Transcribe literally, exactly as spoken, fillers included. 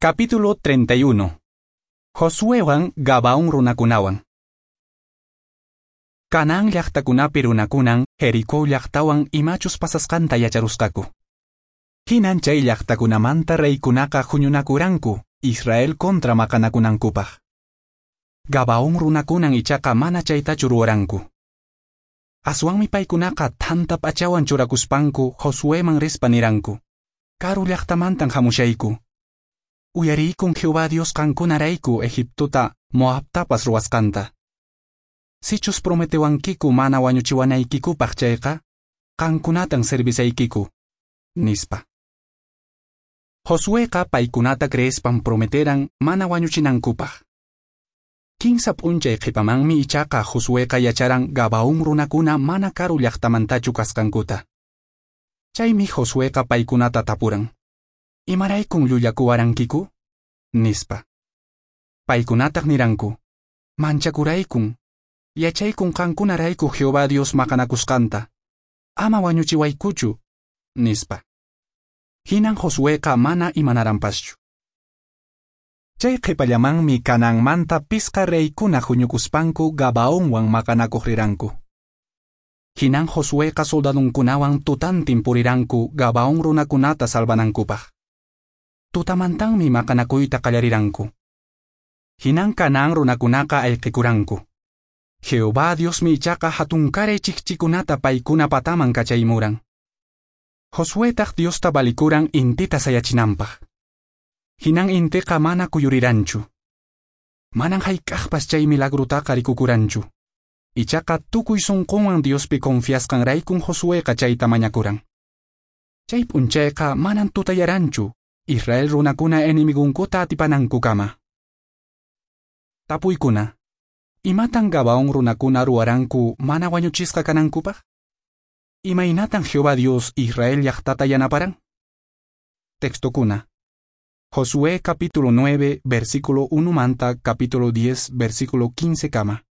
Capítulo treinta y uno. Josuewan Gabaón runakunawan. Canaán llaqtakunapi runakunan Jericó llaqtawan imachus pasasqanta yacharusqaku. Hinan chay llaqtakunamanta reykunaqa huñunakuranku Israel kontra maqanakunankupaq. Gabaón runakunan ichaqa mana chaytachu ruwaranku. Aswanmi paykunaqa thanta p'achawan churakuspanku Josueman rispa niranku: "Karu llaqtamantan hamushayku. Uyariykun Jehová Dios qankunarayku Egiptota Moabtapas ruwasqanta. Sichus prometewankiku mana wañuchiwanaykikupaq chayqa, qankunatan servisaykiku", nispa. Josueqa paykunata creespan prometeran mana wañuchinankupaq. Kinsa p'unchay qhipamanmi ichaqa Josueqa yacharan Gabaón runakuna mana karu llaqtamantachu kasqankuta. Chaymi Josueqa paykunata tapuran: "¿Imaraykun llullakuwarankiku?" nispa. Paykunataq niranku: "Manchakuraykun. Yachaykun qankunarayku Jehová Dios maqanakusqanta. Ama wañuchiwaykuchu", nispa. Hinan Josueqa mana imanaranpaschu. Chay qhipallamanmi Canaanmanta pisqa reykuna huñukuspanku Gabaonwan maqanakuq riranku. Hinan Josueqa soldadunkunawan tutantin puriranku Gabaón runakunata salvanankupaq. Tutamantanmi maqanakuyta qallariranku. Hinan Canaán runakunaqa ayqikuranku. Jehová Diosmi ichaqa hatunkaray chikchikunata paykuna pataman kachaymuran. Josuetaq Diosta valikuran intita sayachinanpaq. Hinan intiqa mana kuyuriranchu. Manan hayk'aqpas chay milagrutaqa rikukuranchu. Ichaqa tukuy sunqunwan Diospi confiasqanraykun Josueqa chayta mañakuran. Chay p'unchayqa manan tutayaranchu Israel runakuna enemigunkuta atipanankukama. Tapuykuna. ¿Imatan Gabaón runakuna ruwaranku mana wañuchisqa kanankupaq? ¿Imaynatan Jehová Dios Israel llaqtata yanaparan? Textokuna. Josué capítulo nueve, versículo uno manta capítulo diez, versículo quince kama.